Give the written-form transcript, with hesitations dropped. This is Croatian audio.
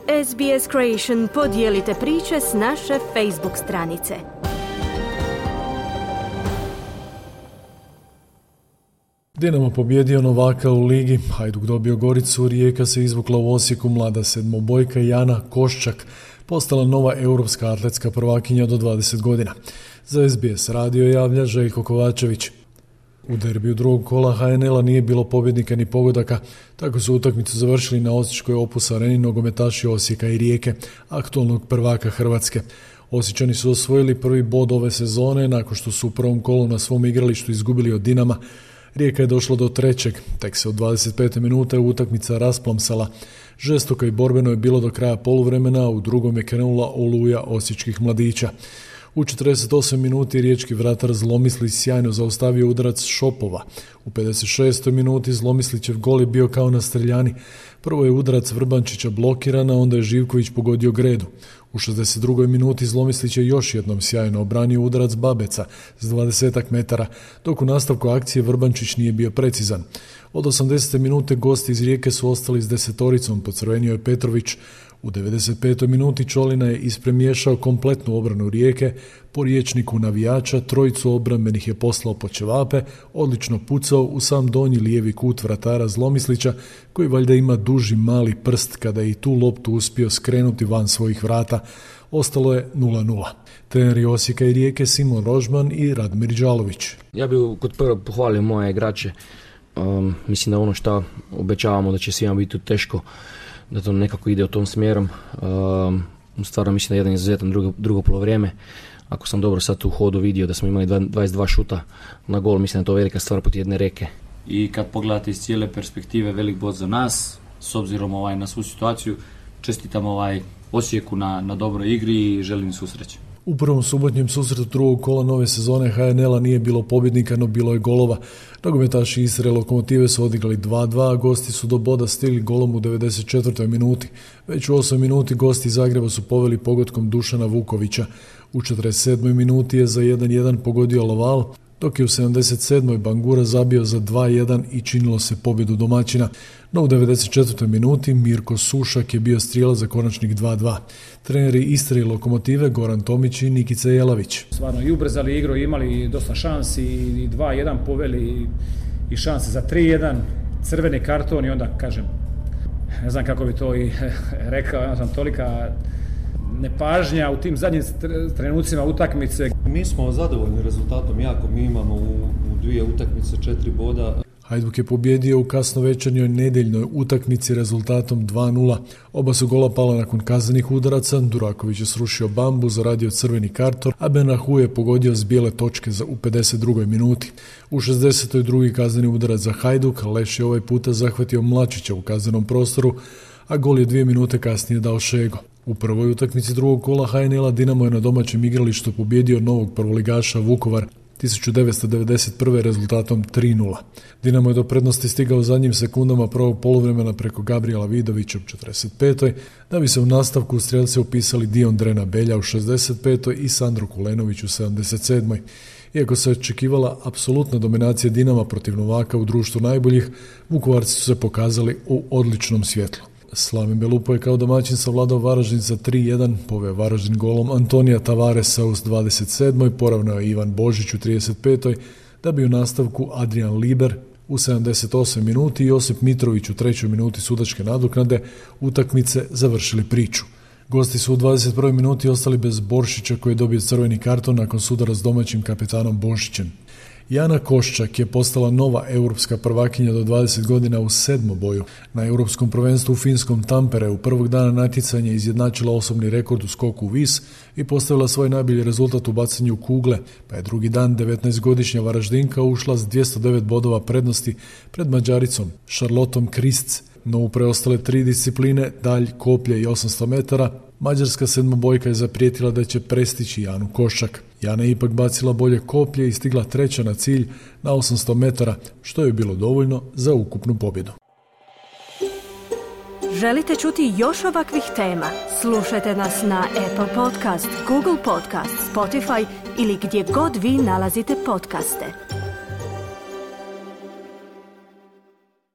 SBS Creation podijelite priče s naše Facebook stranice. Dinamo pobjedio Novaka u ligi, Hajduk dobio Goricu, Rijeka se izvukla u Osijeku, mlada sedmobojka Jana Koščak postala nova europska atletska prvakinja do 20 godina. Za SBS radio javlja Željko Kovačević. U derbiju drugog kola HNL-a nije bilo pobjednika ni pogodaka, tako su utakmicu završili na osječkoj Opus areni nogometaši Osijeka i Rijeke, aktualnog prvaka Hrvatske. Osječani su osvojili prvi bod ove sezone nakon što su u prvom kolu na svom igralištu izgubili od Dinama. Rijeka je došla do trećeg, tek se od 25. minute utakmica rasplamsala. Žestoko i borbeno je bilo do kraja poluvremena, a u drugom je krenula oluja osječkih mladića. U 48 minuti riječki vratar Zlomislić sjajno zaustavio udarac Šopova. U 56. minuti Zlomislićev gol je bio kao na streljani. Prvo je udarac Vrbančića blokiran, a onda je Živković pogodio gredu. U 62. minuti Zlomislić je još jednom sjajno obranio udarac Babeca s 20 metara, dok u nastavku akcije Vrbančić nije bio precizan. Od 80. minute gosti iz Rijeke su ostali s desetoricom, pocrvenio je Petrović. U 95. minuti Čolina je ispremiješao kompletnu obranu Rijeke, po riječniku navijača trojicu obrambenih je poslao po ćevape, odlično pucao u sam donji lijevi kut vratara Zlomislića, koji valjda ima duži mali prst kada je i tu loptu uspio skrenuti van svojih vrata. Ostalo je 0-0. Treneri Osijeka i Rijeke Simon Rožman i Radmir Đalović. Ja bih kod prvo pohvalio moje igrače. Mislim da ono što obećavamo da će svima biti teško, da to nekako ide u tom smjerom. Stvarno mislim da je jedan izuzetan drugo polovrijeme. Ako sam dobro sad u hodu vidio da smo imali 22 šuta na gol, mislim da je to velika stvar protiv jedne Rijeke. I kad pogledate iz cijele perspektive, velik bod za nas, s obzirom na svu situaciju, čestitam Osijeku na dobroj igri i želim svu sreću. U prvom subotnjem susretu drugog kola nove sezone HNL-a nije bilo pobjednika, no bilo je golova. Nogometaši Istre Lokomotive su odigrali 2-2, a gosti su do boda stigli golom u 94. minuti. Već u 8 minuti gosti iz Zagreba su poveli pogodkom Dušana Vukovića. U 47. minuti je za 1-1 pogodio Loval, dok je u 77. Bangura zabio za 2-1 i činilo se pobjedu domaćina. No u 94. minuti Mirko Sušak je bio strijelac za konačnik 2-2. Treneri Istre i Lokomotive Goran Tomić i Nikica Jelavić. Stvarno i ubrzali igru, imali dosta šansi i 2-1 poveli i šanse za 3-1, crveni karton i onda kažem, ne znam kako bi to i rekao, ja sam tolika nepažnja u tim zadnjim trenucima utakmice. Mi smo zadovoljni rezultatom jako, mi imamo u dvije utakmice 4 boda. Hajduk je pobjedio u kasnovečernjoj nedjeljnoj utakmici rezultatom 2-0. Oba su gola pala nakon kaznenih udaraca, Duraković je srušio bambu, zaradio crveni karton, a Benahu je pogodio s bijele točke u 52. minuti. U 62. kazneni udarac za Hajduk, Leš je ovaj puta zahvatio Mlačića u kaznenom prostoru, a gol je 2 minute kasnije dao Šego. U prvoj utakmici drugog kola HNL-a Dinamo je na domaćem igralištu pobjedio novog prvoligaša Vukovar 1991. rezultatom 3-0. Dinamo je do prednosti stigao u zadnjim sekundama prvog poluvremena preko Gabriela Vidovića u 45. da bi se u nastavku u strijelce upisali Dion Drena Belja u 65. i Sandro Kulenović u 77. Iako se očekivala apsolutna dominacija Dinama protiv Novaka u društvu najboljih, Vukovarci su se pokazali u odličnom svjetlu. Slaven Belupo je kao domaćin savladao Varaždin za 3-1, poveo Varaždin golom Antonija Tavaresa u 27. poravnao je Ivan Božić u 35. da bi u nastavku Adrian Liber u 78. minuti i Josip Mitrović u 3. minuti sudačke nadoknade utakmice završili priču. Gosti su u 21. minuti ostali bez Boršića koji je dobio crveni karton nakon sudara s domaćim kapetanom Božićem. Jana Koščak je postala nova europska prvakinja do 20 godina u sedmoboju. Na europskom prvenstvu u finskom Tampereu prvog dana natjecanja izjednačila osobni rekord u skoku u vis i postavila svoj najbolji rezultat u bacanju kugle, pa je drugi dan 19-godišnja Varaždinka ušla s 209 bodova prednosti pred Mađaricom Charlottom Krisc. No u preostale 3 discipline, dalj, koplje i 800 metara, mađarska sedmobojka je zaprijetila da će prestići Janu Koščak. Jana je ipak bacila bolje koplje i stigla treća na cilj na 800 metara, što je bilo dovoljno za ukupnu pobjedu. Želite čuti još ovakvih tema? Slušajte nas na Apple Podcast, Google Podcast, Spotify ili gdje god vi nalazite podcaste.